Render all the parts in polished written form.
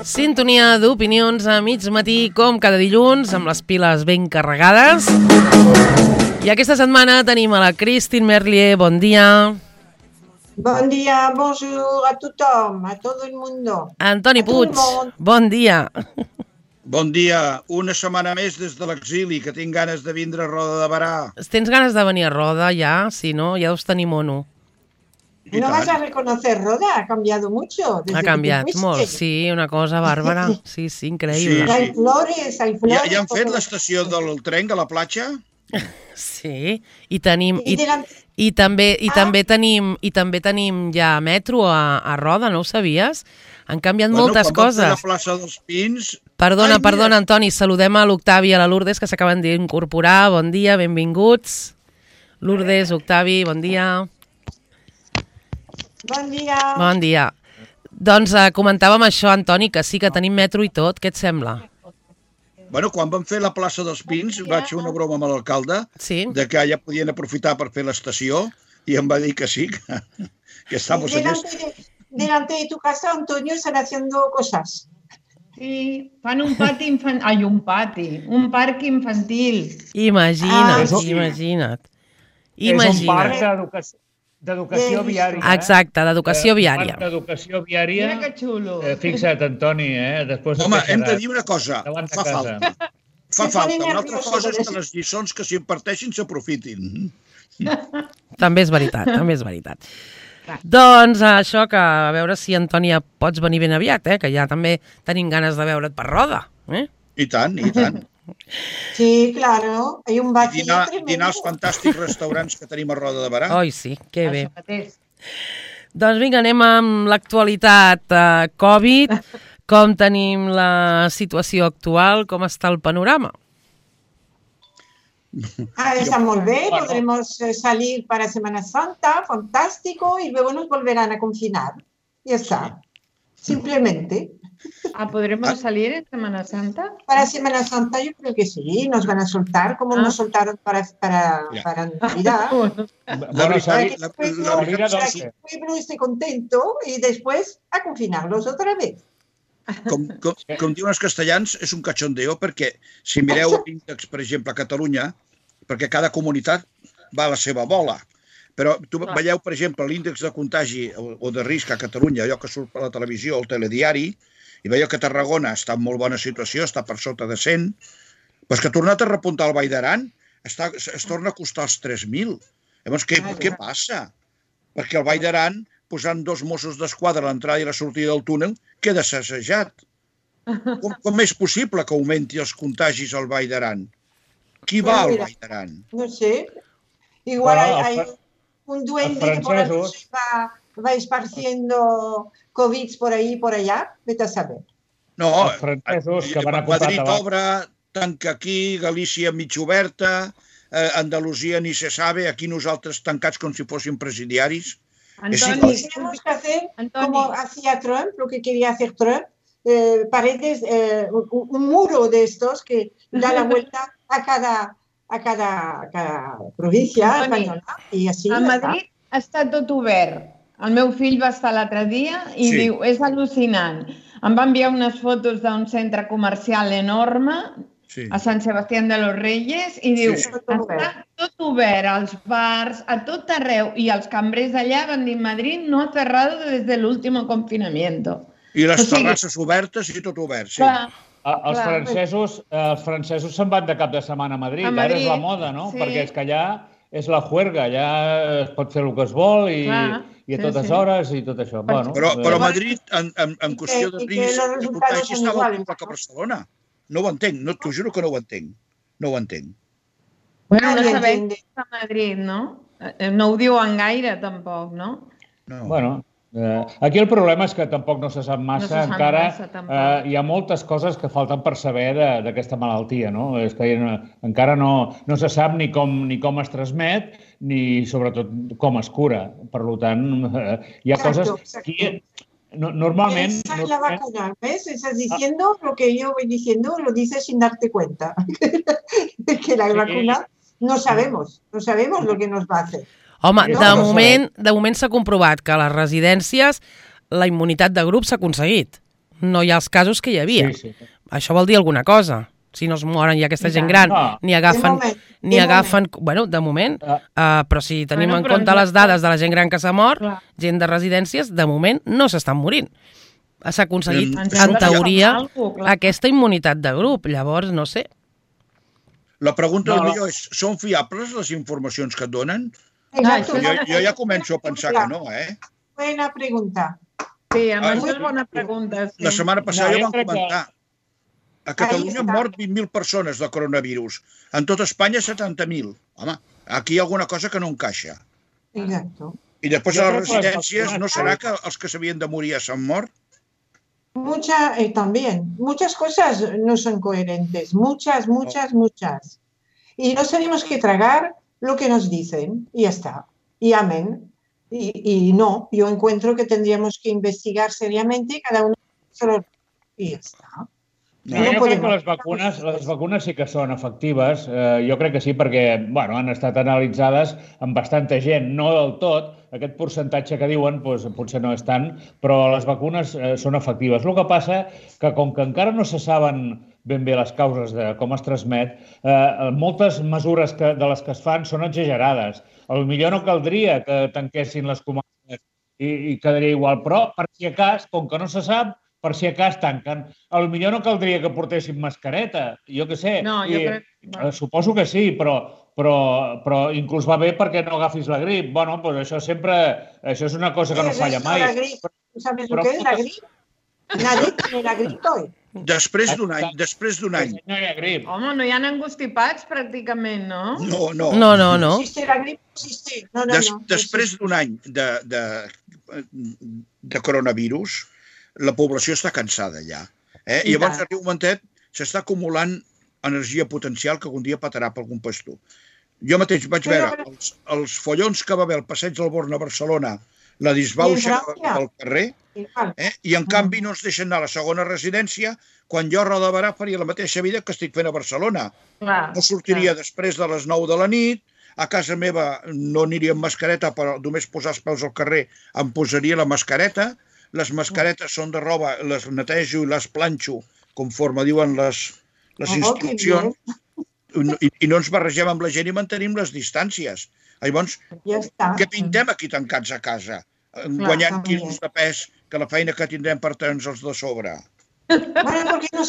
Sintonia d'opinions a mig matí, com cada dilluns, amb les piles ben carregades. I aquesta setmana tenim a la Christine Merlier. Bon dia. Bon dia, bonjour a tothom, a tot el mundo. Antoni Puig, bon dia. Bon dia, una setmana més des de l'exili, que tinc ganes de vindre a Roda de Barà. Tens ganes de venir a Roda ja? Si no, ja deus tenir mono. ¿No vas a reconocer Roda? Ha cambiado mucho. Ha canviat molt, sí, una cosa bàrbara. Sí, increïble. Sí. Hay flores, hay flores. Ja han fet l'estació del tren a la platja? Sí, i tenim... I també tenim ja metro a Roda, no ho sabies? Han canviat moltes coses. Quan vam fer la plaça dels Pins... Perdona, Antoni, saludem a l'Octavi i a la Lourdes, que s'acaben d'incorporar. Bon dia, benvinguts. Lourdes, Octavi, bon dia. Bon dia. Bon dia. Doncs comentàvem això, Antoni, que sí que tenim metro i tot. Què et sembla? Bueno, quan vam fer la plaça dels Pins, vaig fer una broma amb l'alcalde de que ja podien aprofitar per fer l'estació i em va dir que sí, que estamos en esto. Delante de tu casa, Antonio, están haciendo cosas. Sí, fan un parc infantil. Imagina't. És un parc d'educació viària. Exacte, d'educació viària. Un parc d'educació viària. Mira que xulo. Fixa't, Antoni, Home, hem de dir una cosa, fa falta. Fa falta. Una altra cosa és que les lliçons que s'imparteixin s'aprofitin. També és veritat. Doncs això, que a veure si, Antoni, ja pots venir ben aviat, que ja també tenim ganes de veure't per Roda. I tant. Sí, claro. Hay un vacío tremendo. Dinar als fantàstics restaurants que tenim a Roda de Barà. Oi, sí, que bé. Doncs vinga, anem amb l'actualitat Covid. Com tenim la situació actual? Com està el panorama? Está muy bien, podremos salir para Semana Santa, fantástico, y luego nos volverán a confinar. Ya está, simplemente. ¿Podremos salir en Semana Santa? Para Semana Santa yo creo que sí, nos van a soltar como nos soltaron para Navidad. El pueblo esté contento y después a confinarlos otra vez. Com diuen els castellans, és un cachondeo, perquè si mireu l'índex, per exemple, a Catalunya, perquè cada comunitat va a la seva bola, però veieu, per exemple, l'índex de contagi o de risc a Catalunya, allò que surt per la televisió, el telediari, i veieu que Tarragona està en molt bona situació, està per sota de 100, però és que ha tornat a repuntar el Vall d'Aran, es torna a costar els 3.000. Llavors, què passa? Perquè el Vall d'Aran, posant 2 Mossos d'Esquadra a l'entrada i la sortida del túnel, queda sacsejat. Com és possible que augmenti els contagis al Vall d'Aran? Qui va al Vall d'Aran? No sé. Igual hay un duende que por la noche va esparciendo COVID por ahí y por allá. Vete a saber. No, Madrid obre, tanca aquí, Galícia mig oberta, Andalusia ni se sabe, aquí nosaltres tancats com si fóssim presidiaris. Antoni, tenemos que hacer como hacía Trump, lo que quería hacer Trump, paredes, un muro de estos que da la vuelta a cada província espanyola. I així a Madrid està tot obert. El meu fill va estar l'altre dia i diu, és al·lucinant. Em va enviar unes fotos d'un centre comercial enorme a Sant Sebastián de los Reyes i diu, està tot obert, als bars, a tot arreu. I els cambrers d'allà van dir, Madrid no ha cerrado desde el último confinamiento. I les terrasses obertes i tot obert, sí. Els francesos se'n van de cap de setmana a Madrid. Ara és la moda, no? Perquè és que allà és la juerga, allà es pot fer el que es vol i a totes hores i tot això. Però Madrid, en qüestió de risc, de contagi estava al que Barcelona. No ho entenc, t'ho juro que no ho entenc. No ho entenc. Bueno, no sabem què és a Madrid, no? No ho diuen gaire, tampoc, no? Bueno, aquí el problema és que tampoc no se sap massa. Encara hi ha moltes coses que falten per saber d'aquesta malaltia, no? És que encara no se sap ni com es transmet ni, sobretot, com es cura. Per tant, hi ha coses que... Normalmente... Esa es la vacuna, ¿ves? Estás diciendo lo que yo voy diciendo, lo dices sin darte cuenta. Que la vacuna no sabemos lo que nos va a hacer. Home, de moment s'ha comprovat que a les residències la immunitat de grup s'ha aconseguit. no hi ha els casos que hi havia. Això vol dir alguna cosa. Si no es moren ja aquesta gent gran, ni agafen... Bueno, de moment, però si tenim en compte les dades de la gent gran que s'ha mort, gent de residències, de moment no s'estan morint. S'ha aconseguit, en teoria, aquesta immunitat de grup. Llavors, no sé. La pregunta millor és, són fiables les informacions que et donen? Jo ja començo a pensar que no, Buena pregunta. Sí, a més és bona pregunta. La setmana passada ja vam comentar. A Catalunya han mort 20.000 persones de coronavirus. En tot Espanya, 70.000. Home, aquí hi ha alguna cosa que no encaixa. Exacto. I després a les residències, ¿no serà que els que s'havien de morir ja s'han mort? También. Muchas cosas no son coherentes. Muchas. Y nos tenemos que tragar lo que nos dicen. Y ya está. Y amén. Y no, yo encuentro que tendríamos que investigar seriamente cada uno y ya está. Jo crec que les vacunes sí que són efectives. Jo crec que sí perquè han estat analitzades amb bastanta gent, no del tot. Aquest percentatge que diuen potser no és tant, però les vacunes són efectives. El que passa que com que encara no se saben ben bé les causes de com es transmet, moltes mesures de les que es fan són exagerades. Potser no caldria que tanquessin les comarques i quedaria igual, però per si acas, com que no se sap, per si acas tanquen. Potser no caldria que portessin mascareta, jo què sé. No, jo crec... Suposo que sí, però inclús va bé perquè no agafis la grip. Bueno, doncs això sempre... Això és una cosa que no falla mai. ¿Sabes lo que es la grip? Nadie tiene la grip hoy. Després d'un any. No hi ha grip. Home, no hi ha engostipats pràcticament, no? No. Existe la grip, existe. No. Després d'un any de coronavirus, la població està cansada ja. I llavors arriba un momentet, s'està acumulant energia potencial que un dia petarà per algun pastor. Jo mateix vaig veure els follons que va haver al passeig del Born a Barcelona, la disbauxa al carrer, i en canvi no ens deixen anar a la segona residència quan jo a Roda Barà faria la mateixa vida que estic fent a Barcelona. No sortiria després de les 9 de la nit, a casa meva no aniria amb mascareta, però només posar els peus al carrer em posaria la mascareta. Les mascaretes són de roba, les netejo i les planxo conforme diuen les instruccions i no ens barregem amb la gent i mantenim les distàncies. Llavors, què pintem aquí tancats a casa? Guanyant quilos de pes que la feina que tindrem per tenir-nos de sobre. Bueno, porque no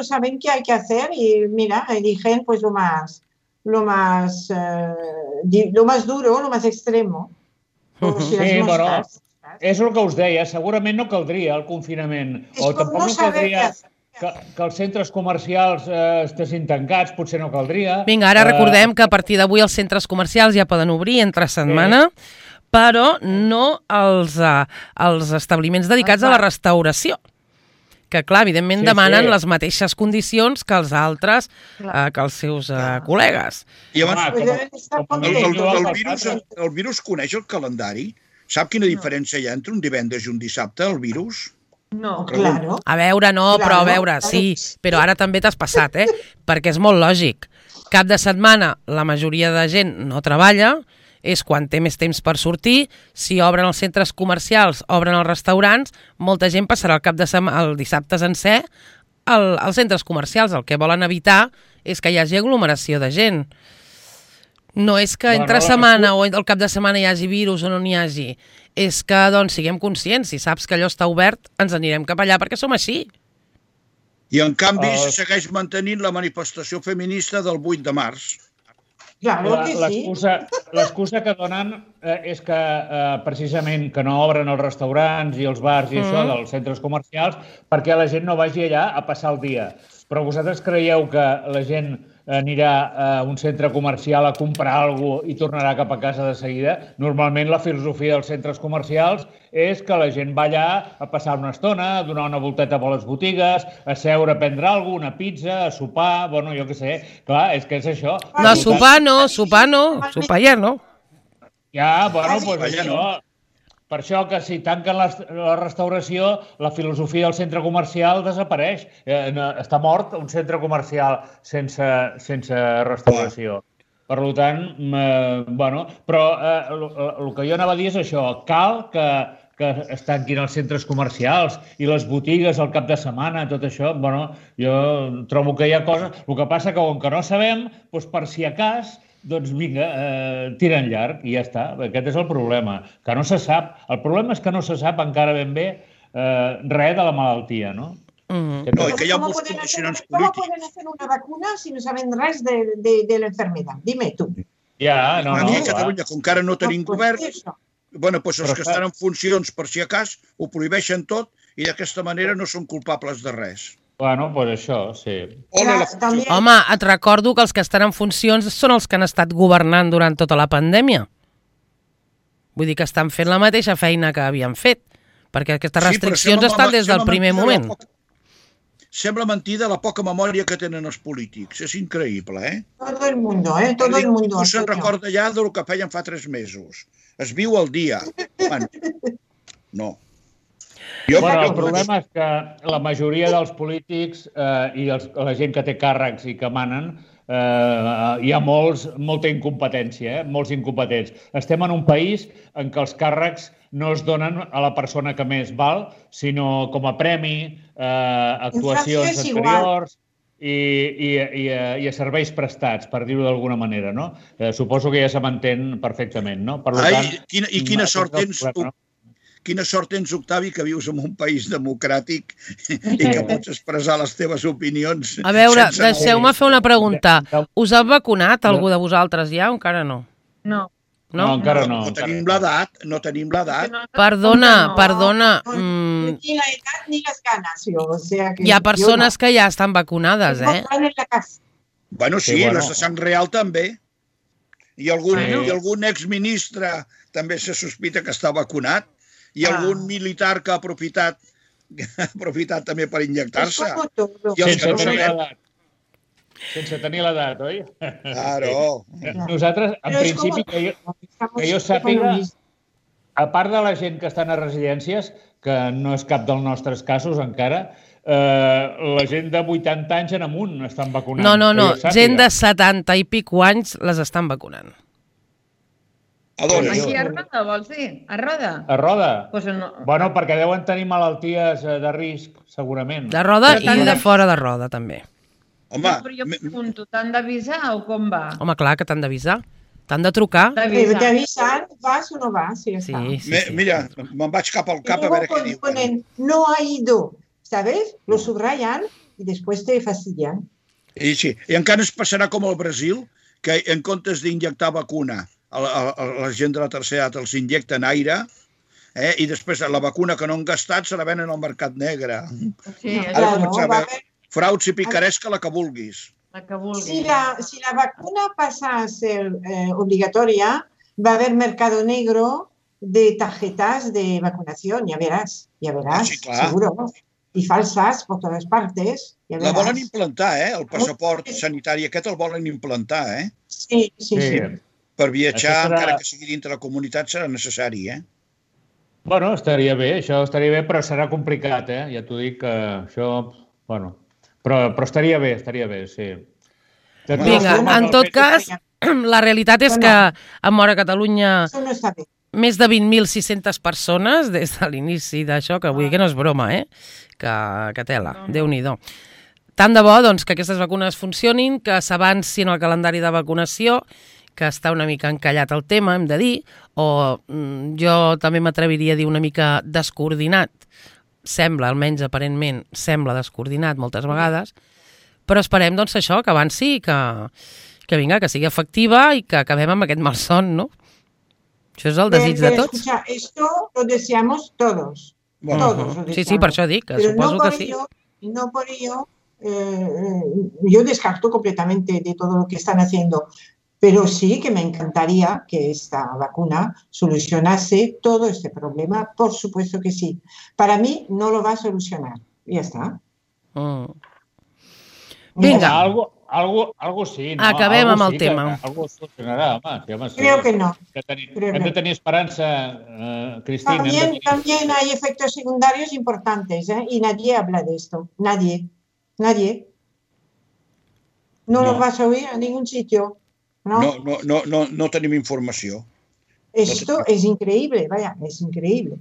saben qué hay que hacer y mira, eligen pues lo más duro, lo más extremo. Sí, bueno, és el que us deia, segurament no caldria el confinament, o tampoc no caldria que els centres comercials estessin tancats, potser no caldria. Vinga, ara recordem que a partir d'avui els centres comercials ja poden obrir entre setmana, però no els establiments dedicats a la restauració, que clar, evidentment demanen les mateixes condicions que els altres, que els seus col·legues. I abans, el virus coneix el calendari? Sap quina diferència hi ha entre un divendres i un dissabte, el virus? No, claro. A veure, però a veure, sí, però ara també t'has passat, perquè és molt lògic. Cap de setmana la majoria de gent no treballa, és quan té més temps per sortir, si obren els centres comercials, obren els restaurants, molta gent passarà el dissabte sencer als centres comercials. El que volen evitar és que hi hagi aglomeració de gent. No és que entre setmana o el cap de setmana hi hagi virus o no n'hi hagi. És que, doncs, siguem conscients. Si saps que allò està obert, ens anirem cap allà perquè som així. I, en canvi, se segueix mantenint la manifestació feminista del 8 de març. Claro que sí. L'excusa que donen és que, precisament, que no obren els restaurants i els bars i això dels centres comercials perquè la gent no vagi allà a passar el dia. Però vosaltres creieu que la gent anirà a un centre comercial a comprar alguna cosa i tornarà cap a casa de seguida? Normalment la filosofia dels centres comercials és que la gent va allà a passar una estona, a donar una volteta per les botigues, a seure, a prendre alguna cosa, una pizza, a sopar, bueno, jo què sé. Clar, és que és això. No, sopar ja no. Ja, bueno, doncs això... Per això que si tanquen la restauració, la filosofia del centre comercial desapareix. Està mort un centre comercial sense restauració. Per tant, bueno, però el que jo anava a dir és això. Cal que que es tanquin els centres comercials i les botigues al cap de setmana, tot això, bueno, jo trobo que hi ha coses... El que passa que, com que no sabem, doncs per si a cas, doncs vinga, tira en llarg i ja està. Aquest és el problema, que no se sap. El problema és que no se sap encara ben bé res de la malaltia, no? No, i que hi ha molts condicionants polítics. ¿Cómo pueden hacer una vacuna si no saben res de la enfermedad? Dime tú. Ja, no, Aquí a Catalunya, com que ara no tenim govern, bueno, doncs els que estan en funcions, per si a cas, ho prohibeixen tot i d'aquesta manera no són culpables de res. Bueno, doncs això, sí. Home, et recordo que els que estan en funcions són els que han estat governant durant tota la pandèmia. Vull dir que estan fent la mateixa feina que havien fet, perquè aquestes restriccions estan des del primer moment. Sembla mentida la poca memòria que tenen els polítics. És increïble, eh? Todo el mundo, eh? Todo el mundo. No se'n recorda ja del que feien fa 3 mesos. Es viu al dia. No. Bueno, el problema és que la majoria dels polítics i la gent que té càrrecs i que manen, hi ha molta incompetència, molts incompetents. Estem en un país en què els càrrecs no es donen a la persona que més val, sinó com a premi, actuacions anteriors i a serveis prestats, per dir-ho d'alguna manera, no? Suposo que ja se m'entén perfectament, no? Per tant, i quina sort tens, quina sort tens, Octavi, que vius en un país democràtic i que pots expressar les teves opinions. A veure, deixeu-me fer una pregunta. Us han vacunat algú de vosaltres ja o encara no? No. No, encara no. No tenim l'edat, no tenim l'edat. Perdona. Ni la edat ni les ganes, jo. O sea que hi ha persones que ja estan vacunades, eh? Bueno, sí, les de sang real també. I algun exministre també se sospita que està vacunat. I algun militar que ha aprofitat també per injectar-se. Sense tenir l'edat, oi? Claro. Nosaltres, en principi, que jo sàpiga, a part de la gent que estan a residències, que no és cap dels nostres casos encara, la gent de 80 anys en amunt estan vacunant. No, gent de 70 i pico anys les estan vacunant. Aquí a Roda, vols dir? A Roda? A Roda? Pues no. Bueno, perquè deuen tenir malalties de risc, segurament. De Roda i de fora de Roda, també. Home, però jo pregunto, t'han d'avisar o com va? Home, clar que t'han d'avisar. T'han de trucar. T'avisen, vas o no vas. Sí. Mira, me'n vaig cap al cap a veure què diuen. No ha ido, ¿sabes? Lo subrayan y después te fastidian. I sí, i encara es passarà com al Brasil, que en comptes d'injectar vacuna a la gent de la tercera edat els injecten aire, i després la vacuna que no han gastat se la venen al mercat negre. Sí, ara començar a veure frauds i picaresca, la que vulguis. Si la vacuna pasa a ser obligatoria, va a haber mercado negro de tarjetas de vacunación, ya verás, sí, seguro. Y falsas por todas partes. Ya la volen implantar, el passaport sanitari aquest el volen implantar, Sí. Per viatjar, encara que sigui dintre la comunitat, serà necessari, Bueno, estaria bé, això estaria bé, però serà complicat, Ja t'ho dic, que això, bueno... Però estaria bé, sí. Vinga, en tot cas, la realitat és que han mort a Catalunya més de 20.600 persones des de l'inici d'això, que vull dir que no és broma, que tela, Déu-n'hi-do. Tant de bo doncs, que aquestes vacunes funcionin, que s'avancin el calendari de vacunació, que està una mica encallat el tema, hem de dir, o jo també m'atreviria a dir una mica descoordinat. Sembla, almenys aparentment, sembla descoordinat moltes vegades, però esperem doncs això, que avanci i que vinga, que sigui efectiva i que acabem amb aquest malson, no? Això és el desig de tots. Esto lo deseamos todos. Sí, per això dic, que suposo que sí. No por ello, yo descarto completamente de todo lo que están haciendo. Pero sí que me encantaría que esta vacuna solucionase todo este problema, por supuesto que sí. Para mí no lo va a solucionar. Ya está. Vinga. Algo sí, no? Acabem amb el tema. Algo solucionarà, home. Creo que no. Hem de tenir esperança, Cristina. También hay efectos secundarios importantes, y nadie habla de esto. Nadie. No lo vas a oír en ningún sitio. No tenim informació. Esto es increíble, vaya, es increíble.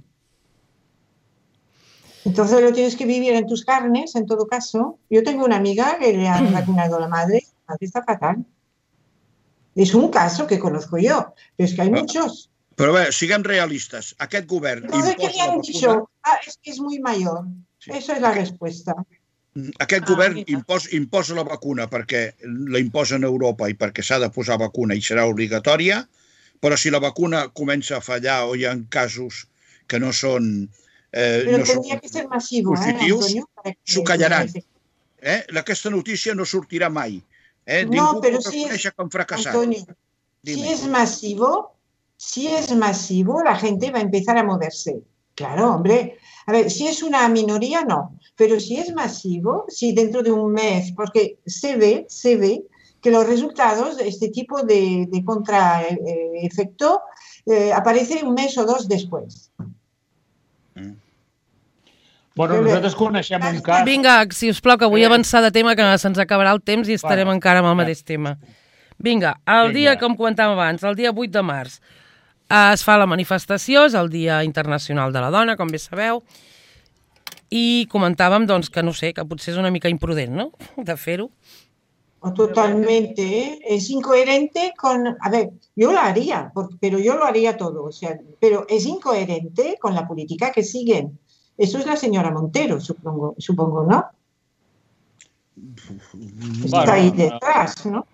Entonces lo tienes que vivir en tus carnes, en todo caso. Yo tengo una amiga que le han vacunado a la madre está fatal. És un cas que conozco yo, però és que hay muchos. Però bé, siguem realistes. Aquest govern Entonces, ¿qué le han dicho? Es que es muy mayor. Sí. Eso es la respuesta. Aquest govern imposa la vacuna perquè la imposa en Europa i perquè s'ha de posar vacuna i serà obligatòria, però si la vacuna comença a fallar o hi ha casos que no són positius, s'ho callaran. Aquesta notícia no sortirà mai. No, pero si Antonio, si es masivo, la gente va a empezar a moverse. Claro, hombre. A ver, si es una minoría, no. Pero si es masivo, si dentro de un mes, porque se ve que los resultados de este tipo de contraefecto aparecen un mes o dos después. Bueno, nosaltres coneixem un cas... Vinga, si us plau, que vull avançar de tema, que se'ns acabarà el temps i estarem encara amb el mateix tema. Vinga, el dia, com comentàvem abans, el dia 8 de març, es fa la manifestació, és el Dia Internacional de la Dona, com bé sabeu, i comentàvem, doncs, que no sé, que potser és una mica imprudent, no?, de fer-ho. Totalmente, es incoherente con... A ver, yo lo haría, pero yo lo haría todo, o sea, pero es incoherente con la política que siguen. Eso es la señora Montero, supongo, ¿no? Está ahí detrás, ¿no?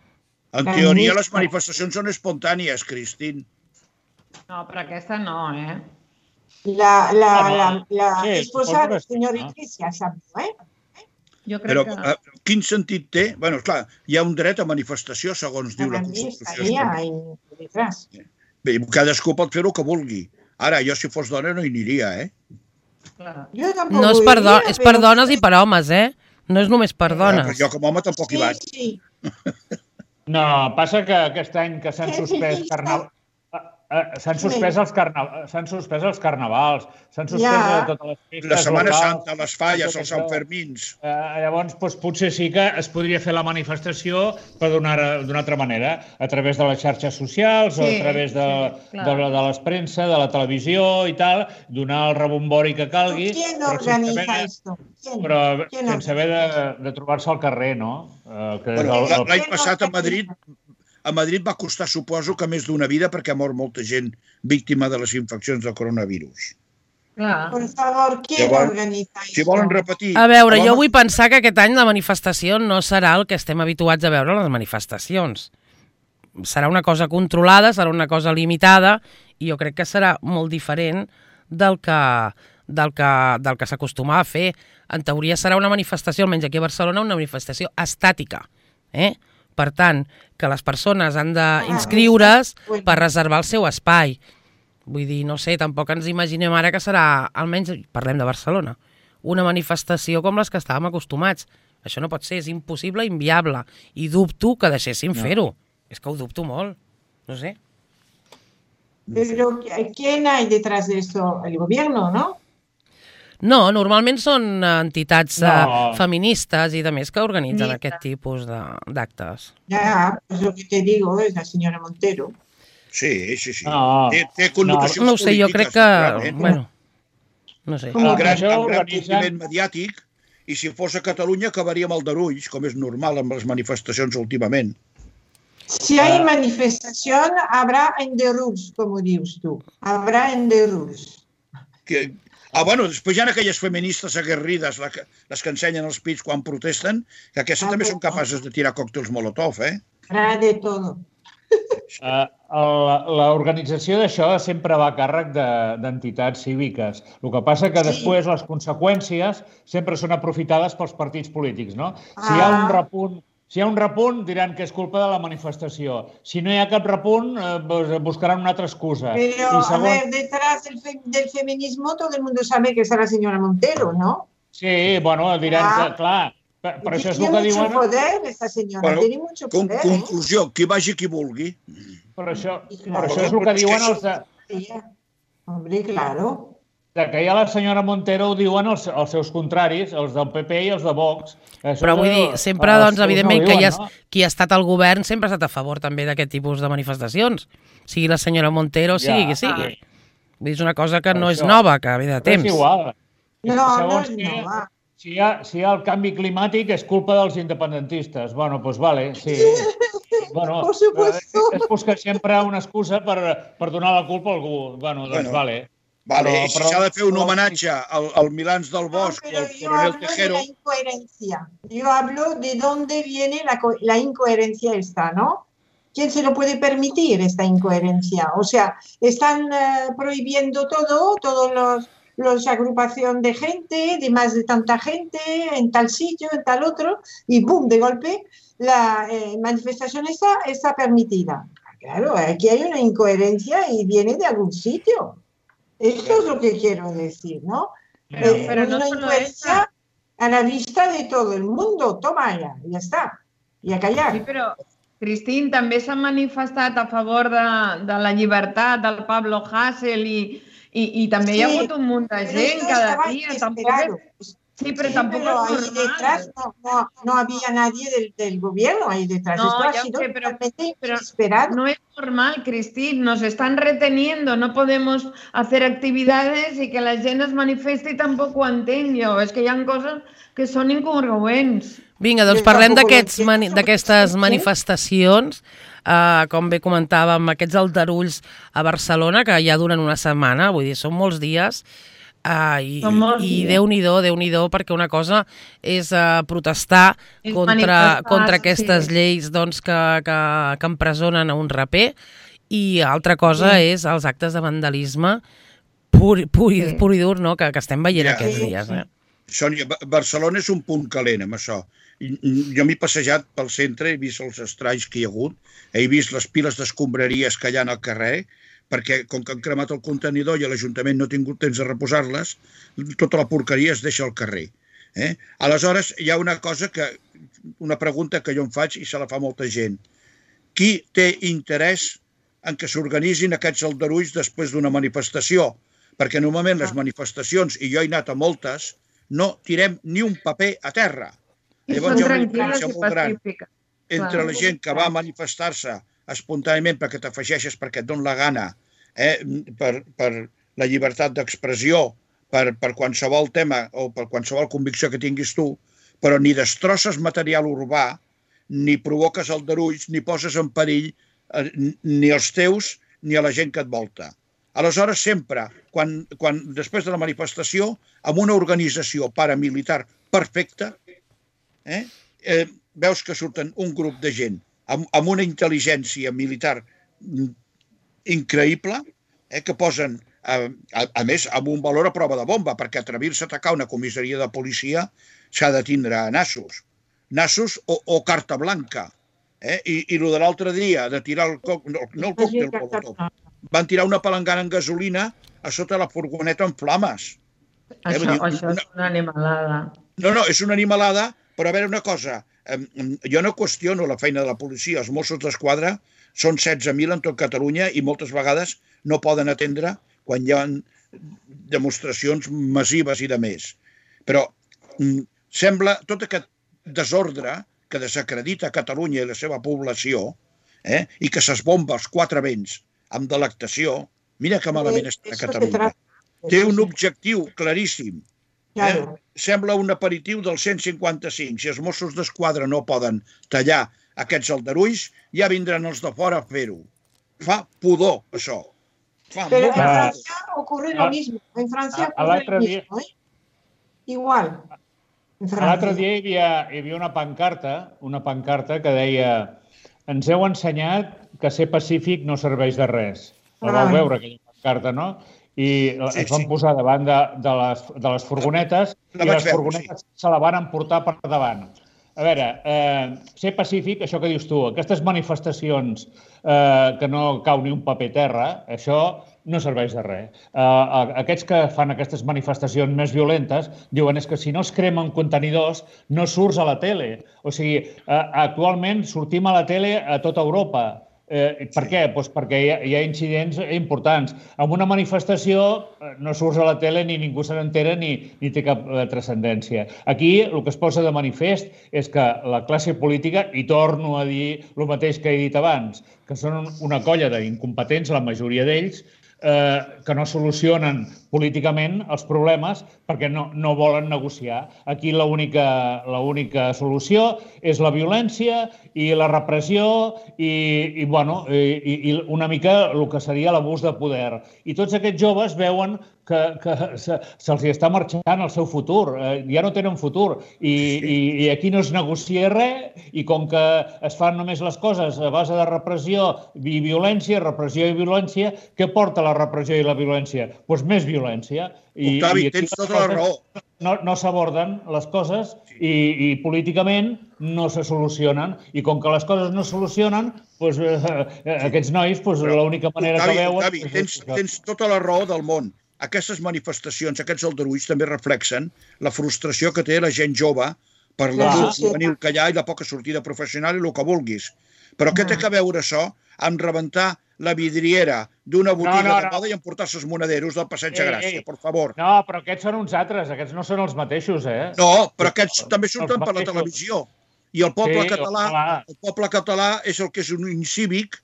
En teoria, les manifestacions són espontànies, Cristín. No, però aquesta no, eh? La esposa del senyor Iglesias, Però quin sentit té? Bé, clar, hi ha un dret a manifestació, segons diu la Constitució. Bé, cadascú pot fer el que vulgui. Ara, jo si fos dona no hi aniria, No és per dones i per homes, No és només per dones. Jo com a home tampoc hi vaig. No, passa que aquest any que s'han suspès s'han suspès els carnavals, s'han suspès totes les festes. La Setmana Santa, les falles, els Sanfermins. Llavors, potser sí que es podria fer la manifestació d'una altra manera, a través de les xarxes socials o a través de les premsa, de la televisió i tal, donar el rebombori que calgui, però sense haver de trobar-se al carrer, no? L'any passat a Madrid va costar, suposo, que més d'una vida perquè ha mort molta gent víctima de les infeccions del coronavirus. Por favor, ¿quién organiza eso? Si volen repetir... A veure, jo vull pensar que aquest any la manifestació no serà el que estem habituats a veure a les manifestacions. Serà una cosa controlada, serà una cosa limitada, i jo crec que serà molt diferent del que s'acostumava a fer. En teoria serà una manifestació, almenys aquí a Barcelona, una manifestació estàtica, Per tant, que les persones han d'inscriure's per reservar el seu espai. Vull dir, no sé, tampoc ens imaginem ara que serà, almenys parlem de Barcelona, una manifestació com les que estàvem acostumats. Això no pot ser, és impossible, inviable. I dubto que deixessin fer-ho. És que ho dubto molt. No sé. Però ¿quién hay detrás de eso? El gobierno, ¿no? No, normalment són entitats feministes i de més que organitzen aquest tipus d'actes. Ja, pues lo que te digo es la senyora Montero. Sí. Té connotacions polítiques. No ho sé, jo crec que... Bueno, no sé. Un gran compliment mediàtic, i si fos a Catalunya acabaria amb aldarulls, com és normal amb les manifestacions últimament. Si hay manifestación, habrá enderruls, como dius tu. Habrá enderruls. Bueno, després hi ha aquelles feministes aguerrides, les que ensenyen els pits quan protesten, que aquestes també són capaces de tirar còctels Molotov, Habrá de todo. L'organització d'això sempre va a càrrec d'entitats cíviques. El que passa que després les conseqüències sempre són aprofitades pels partits polítics, no? Si hi ha un repunt, diran que és culpa de la manifestació. Si no hi ha cap repunt, buscaran una altra excusa. Pero, a ver, detrás del feminismo todo el mundo sabe que es la señora Montero, ¿no? Sí, bueno, diran que, clar, per això és el que diuen... Tiene mucho poder, esta señora, tiene mucho poder. Conclusió, qui vagi qui vulgui. Per això és el que diuen els de... Hombre, claro. Que ja la senyora Montero ho diuen els seus contraris, els del PP i els de Vox. Però vull dir, sempre, doncs, evidentment, que qui ha estat al govern sempre ha estat a favor també d'aquest tipus de manifestacions. Sigui la senyora Montero, sigui qui sigui. Vull dir, és una cosa que no és nova, que ve de temps. És igual. No. Si hi ha el canvi climàtic és culpa dels independentistes. Bueno, doncs vale, sí. Bueno, es busca sempre una excusa per donar la culpa a algú. Bueno, doncs vale. Vale, si s'ha de fer un homenatge al Milans del Bosc o al coronel Tejero... Yo hablo de dónde viene la incoherencia esta, ¿no? ¿Quién se lo puede permitir esta incoherencia? O sea, están prohibiendo todos los agrupación de gente, de más de tanta gente, en tal sitio, en tal otro, y ¡boom! De golpe la manifestación está permitida. Claro, aquí hay una incoherencia y viene de algún sitio. Esto es lo que quiero decir, ¿no? Pero no una incoherencia a la vista de todo el mundo. Toma ya está. Y a callar. Sí, però, Cristín, també s'ha manifestat a favor de la llibertat del Pablo Hasél i també hi ha hagut un munt de gent cada dia. Sí, pero tampoco ahí detrás no había nadie del gobierno ahí detrás. No, esto ha sido totalmente inesperado. No es normal, Cristín, nos están reteniendo, no podemos hacer actividades y que la gent es manifesti tampoc ho entenc jo. És que hi ha coses que són incongruents. Vinga, doncs parlem d'aquestes manifestacions, com bé comentàvem, aquests aldarulls a Barcelona, que ja duren una setmana, vull dir, són molts dies, i Déu-n'hi-do, perquè una cosa és protestar contra aquestes lleis que empresonen a un raper, i altra cosa és els actes de vandalisme pur i dur, no? Que estem veient aquests dies. Sònia, Barcelona és un punt calent amb això. Jo m'he passejat pel centre, he vist els estralls que hi ha hagut, he vist les piles d'escombraries que hi ha al carrer, perquè com que han cremat el contenidor i l'Ajuntament no ha tingut temps de reposar-les, tota la porqueria es deixa al carrer. Aleshores, hi ha una pregunta que jo em faig i se la fa molta gent. Qui té interès en que s'organitzin aquests aldarulls després d'una manifestació? Perquè normalment les manifestacions, i jo he anat a moltes, no tirem ni un paper a terra. Llavors hi ha una diferència molt gran entre la gent que va a manifestar-se espontàniament perquè t'afegeixes perquè et dona la gana, per la llibertat d'expressió, per qualsevol tema o per qualsevol convicció que tinguis tu, però ni destrosses material urbà, ni provoques aldarulls, ni poses en perill ni els teus ni a la gent que et volta. Aleshores, sempre, després de la manifestació, amb una organització paramilitar perfecta, veus que surten un grup de gent amb una intel·ligència militar increïble, que posen, a més, amb un valor a prova de bomba, perquè atrevir-se a atacar una comissaria de policia s'ha de tindre nassos o carta blanca. I el de l'altre dia, de tirar el còctel Molotov, van tirar una palangana en gasolina a sota la furgoneta en flames. Això és una animalada. No, és una animalada, però a veure una cosa, jo no qüestiono la feina de la policia, els Mossos d'Esquadra són 16.000 en tot Catalunya i moltes vegades no poden atendre quan hi ha demostracions massives i de més. Però sembla tot aquest desordre que desacredita Catalunya i la seva població, i que s'esbomba als quatre vents amb delectació, mira que malament està Catalunya. Té un objectiu claríssim. Sembla un aperitiu del 155. Si els Mossos d'Esquadra no poden tallar aquests aldarulls, ja vindran els de fora a fer-ho. Fa pudor, això. Pero en Francia ocurre lo mismo. En Francia ocurre lo mismo. Igual. L'altre dia hi havia una pancarta que deia: ens heu ensenyat que ser pacífic no serveix de res. La vau veure, aquella pancarta, no? I es van posar davant de les furgonetes i les furgonetes se la van emportar per davant. A veure, ser pacífic, això que dius tu, aquestes manifestacions que no cau ni un paper terra, això no serveix de res. Aquests que fan aquestes manifestacions més violentes diuen és que si no es cremen contenidors no surts a la tele. O sigui, actualment sortim a la tele a tota Europa. Per què? Doncs perquè hi ha incidents importants. En una manifestació no surts a la tele ni ningú se n'entera ni té cap transcendència. Aquí el que es posa de manifest és que la classe política, i torno a dir el mateix que he dit abans, que són una colla d'incompetents, la majoria d'ells, que no solucionen políticament els problemes perquè no volen negociar. Aquí l'única solució és la violència i la repressió i una mica el que seria l'abús de poder. I tots aquests joves veuen que se'ls està marxant el seu futur. Ja no tenen futur i aquí no es negocia res i com que es fan només les coses a base de repressió i violència, què porta la repressió i la violència? Doncs més violència. Octavi, tens tota la raó. No s'aborden les coses i políticament no se solucionen. I com que les coses no es solucionen, aquests nois, l'única manera que veuen... Octavi, tens tota la raó del món. Aquestes manifestacions, aquests aldarulls també reflexen la frustració que té la gent jove per l'atur juvenil que hi ha i la poca sortida professional i el que vulguis. Però què té que veure això amb rebentar la vidriera d'una botiga de moda i emportar-se els monaderos del Passeig de Gràcia, per favor? No, però aquests són uns altres, aquests no són els mateixos, eh? No, però aquests també surten per la televisió. I el poble català és el que és un incívic,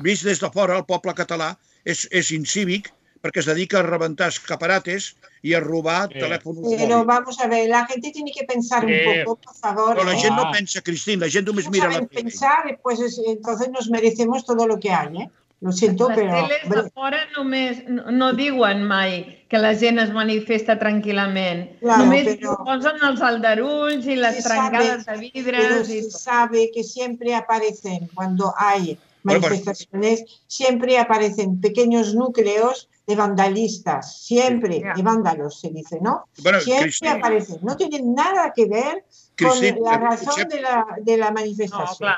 vist des de fora, el poble català és incívic perquè es dedica a rebentar escaparates y a robar teléfonos móviles. Pero vamos a ver, la gente tiene que pensar un poco, por favor. Pero la gente no piensa, Cristina, la gente només mira la tele. Pensar, pues entonces nos merecemos todo lo que hay, ¿eh? Lo siento, però... Les teles de fora només no diuen mai que la gent es manifesta tranquil·lament. Només posen els aldarulls i les trencades de vidres. Pero se sabe que siempre aparecen, cuando hay manifestaciones, siempre aparecen pequeños núcleos de vandalistas, siempre, de vándalos se dice, ¿no? Bueno, siempre aparecen. No tienen nada que ver con la razón de la manifestación.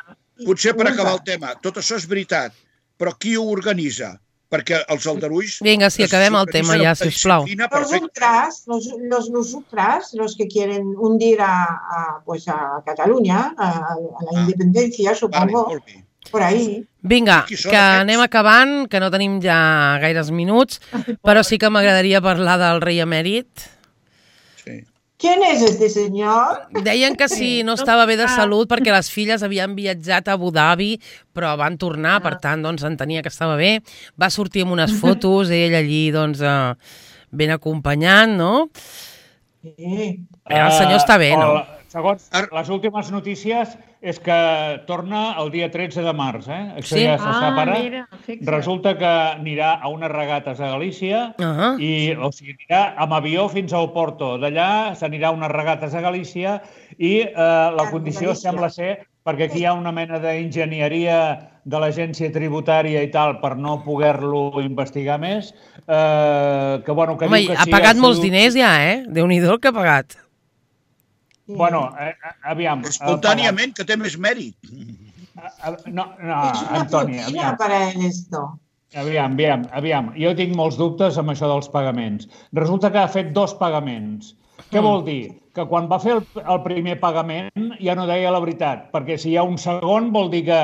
Potser per acabar el tema, tot això és veritat, però qui ho organitza? Perquè els aldarulls... Vinga, sí, acabem el tema ja, sisplau. Los ultras, los que quieren hundir a Catalunya, a la independencia, supongo, por ahí. Vinga, que anem acabant, que no tenim ja gaires minuts, però sí que m'agradaria parlar del rei emèrit. Sí. ¿Quién es este señor? Deien que si no estava bé de salut perquè les filles havien viatjat a Abu Dhabi, però van tornar, per tant, doncs, entenia que estava bé. Va sortir amb unes fotos, ell allí, doncs, ben acompanyant, no? Sí. El senyor està bé, no? Segons les últimes notícies és que torna el dia 13 de març, Això sí? Ja se sap ara. Resulta que anirà a unes regates a Galícia, o sigui, anirà amb avió fins a Oporto. D'allà s'anirà a unes regates a Galícia i la condició sembla ser, perquè aquí hi ha una mena d'enginyeria de l'agència tributària i tal per no poder-lo investigar més, que bueno... Home, ha pagat molts diners ja, Déu-n'hi-do el que ha pagat. Bueno, aviam... Espontàniament, que té més mèrit. No, Antoni, aviam. Aviam. Jo tinc molts dubtes amb això dels pagaments. Resulta que ha fet 2 pagaments. Què vol dir? Que quan va fer el primer pagament ja no deia la veritat, perquè si hi ha un segon vol dir que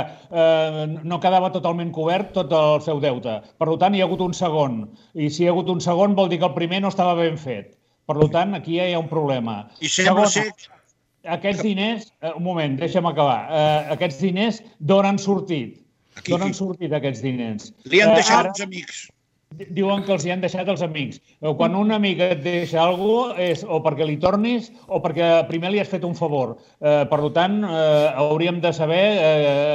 no quedava totalment cobert tot el seu deute. Per tant, hi ha hagut un segon. I si hi ha hagut un segon vol dir que el primer no estava ben fet. Per tant, aquí ja hi ha un problema. I sembla ser... Aquests diners, un moment, deixa'm acabar, aquests diners d'on han sortit? D'on han sortit aquests diners? Li han deixat els amics. Diuen que els hi han deixat els amics. Quan un amic et deixa alguna cosa és o perquè li tornis o perquè primer li has fet un favor. Per tant, hauríem de saber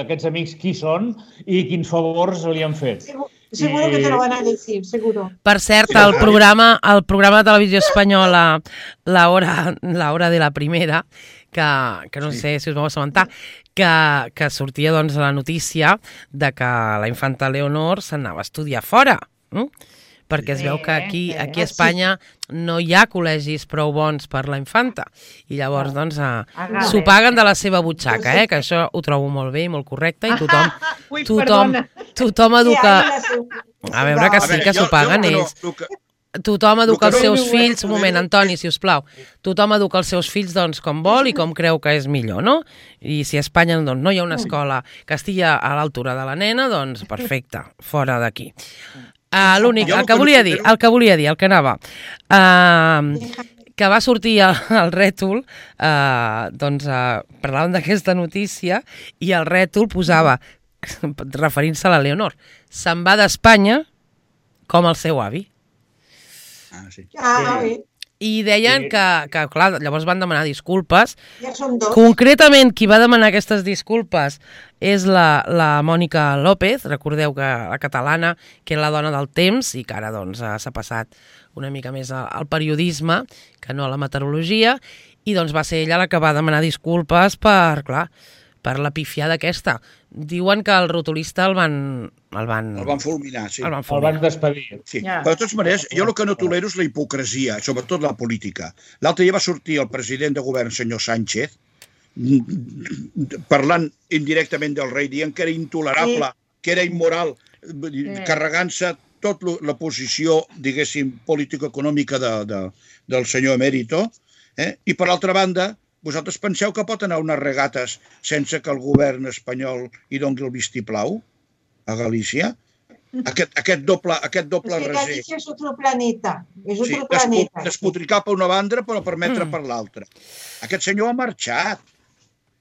aquests amics qui són i quins favors li han fet. Seguro que te lo van a decir, seguro. Per cert, el programa de televisió espanyola La Hora de la Primera, que no sé si us vau assabentar, que sortia doncs la notícia de que la infanta Leonor s'anava a estudiar fora, perquè es veu que aquí a Espanya no hi ha col·legis prou bons per la infanta i llavors doncs s'ho paguen de la seva butxaca, que això ho trobo molt bé i molt correcte i tothom educa... A veure que sí que s'ho paguen ells. Tothom educa els seus fills... Un moment, Antoni, sisplau. Tothom educa els seus fills doncs, com vol i com creu que és millor, no? I si a Espanya doncs, no hi ha una escola que estigui a l'altura de la nena, doncs perfecte, fora d'aquí. L'únic, el que volia dir, el que anava, que va sortir el rètol, doncs parlàvem d'aquesta notícia i el rètol posava, referint-se a la Leonor, se'n va d'Espanya com el seu avi. Sí. Sí. I deien que, clar, llavors van demanar disculpes. Ja són dos. Concretament, qui va demanar aquestes disculpes és la Mònica López, recordeu que la catalana, que era la dona del Temps i que ara doncs, s'ha passat una mica més al periodisme que no a la meteorologia, i doncs va ser ella la que va demanar disculpes per la pifiada aquesta. Diuen que el rotulista el van fulminar, sí. El van despedir. Sí. Yeah. Però de totes maneres, jo el que no tolero és la hipocresia, sobretot la política. L'altre dia va sortir el president de govern, senyor Sánchez, parlant indirectament del rei, dient que era intolerable, que era immoral, carregant-se tota la posició, diguéssim, político-econòmica del senyor emèrito. I per l'altra banda, vosaltres penseu que pot anar a unes regates sense que el govern espanyol hi doni el vistiplau a Galícia? Aquest doble raser. Galícia és otro planeta. És otro planeta. Despotricar per una banda però permetre per l'altra. Aquest senyor ha marxat.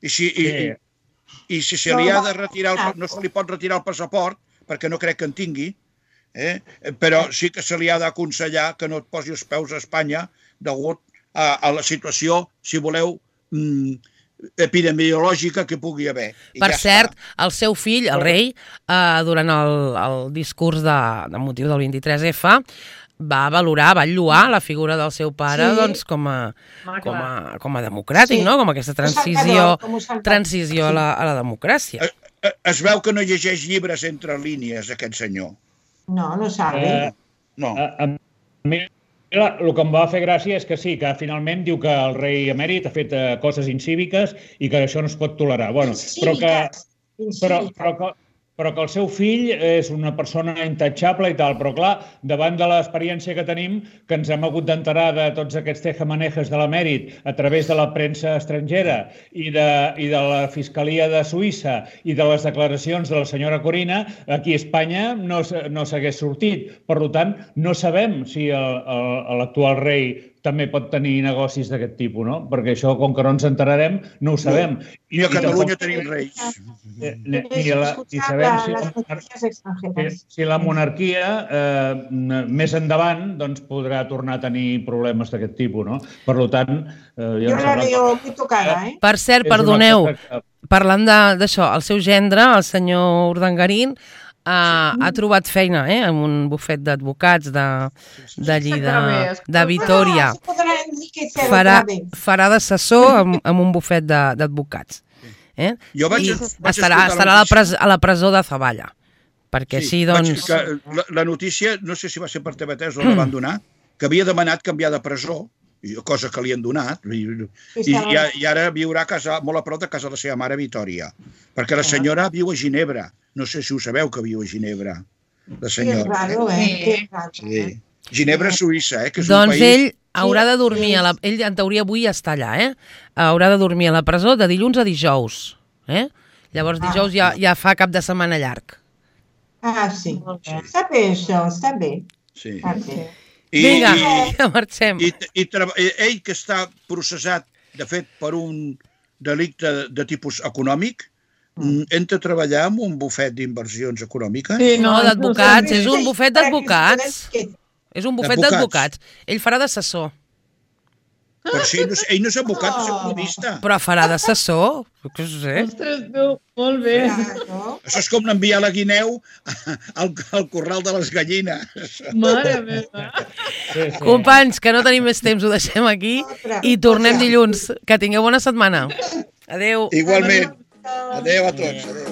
I si se li ha de retirar, no se li pot retirar el passaport, perquè no crec que en tingui, però sí que se li ha d'aconsellar que no et posi els peus a Espanya degut a la situació, si voleu, epidemiològica que pugui haver. Per cert, el seu fill, el rei, durant el discurs de motiu del 23F, va valorar, va lloar la figura del seu pare com a democràtic, no? Com aquesta transició a la democràcia. Es veu que no llegeix llibres entre línies, aquest senyor. No sabe. No. El que em va fer gràcia és que sí, que finalment diu que el rei emèrit ha fet coses incíviques i que això no es pot tolerar. Però que el seu fill és una persona intachable i tal, però clar, davant de l'experiència que tenim, que ens hem hagut d'enterar de tots aquests tejamanejes de l'emèrit a través de la premsa estrangera i de la Fiscalia de Suïssa i de les declaracions de la senyora Corina, aquí a Espanya no s'hagués sortit. Per tant, no sabem si l'actual rei també pot tenir negocis d'aquest tipus, no? Perquè això, com que no ens enterarem, no ho sabem. I a Catalunya tenim reis. I sabem si la monarquia més endavant podrà tornar a tenir problemes d'aquest tipus, no? Per tant... Jo la veo muy tocada, eh? Per cert, perdoneu, parlant d'això, el seu gendre, el senyor Urdangarín, ha trobat feina en un bufet d'advocats d'allí, de Vitòria. Farà d'assessor en un bufet d'advocats. I estarà a la presó de Zavalla. Perquè així, doncs... La notícia, no sé si va ser per TV3 o la van donar, que havia demanat canviar de presó, cosa que li han donat, i ara viurà molt a prop de casa de la seva mare, Vitòria, perquè la senyora viu a Ginebra. No sé si ho sabeu, que viu a Ginebra, la senyora. Sí. Ginebra, Suïssa, que és un país... Doncs ell haurà de dormir, ell en teoria avui està allà, haurà de dormir a la presó de dilluns a dijous. Llavors dijous ja fa cap de setmana llarg. Sí. Està bé això, està bé. Sí. Vinga, ja marxem. Ell que està processat, de fet, per un delicte de tipus econòmic, entra a treballar en un bufet d'inversions econòmiques? No, d'advocats, és un bufet d'advocats. És un bufet d'advocats. Ell farà d'assessor. Però si ell no és advocat, és economista. Però farà d'assessor? Què sé. Ostres, tu, molt bé. Això és com enviar la guineu al corral de les gallines. Mare meva. Companys, que no tenim més temps, ho deixem aquí i tornem dilluns. Que tingueu bona setmana. Adéu. Igualment. Adéu a tots. Adéu.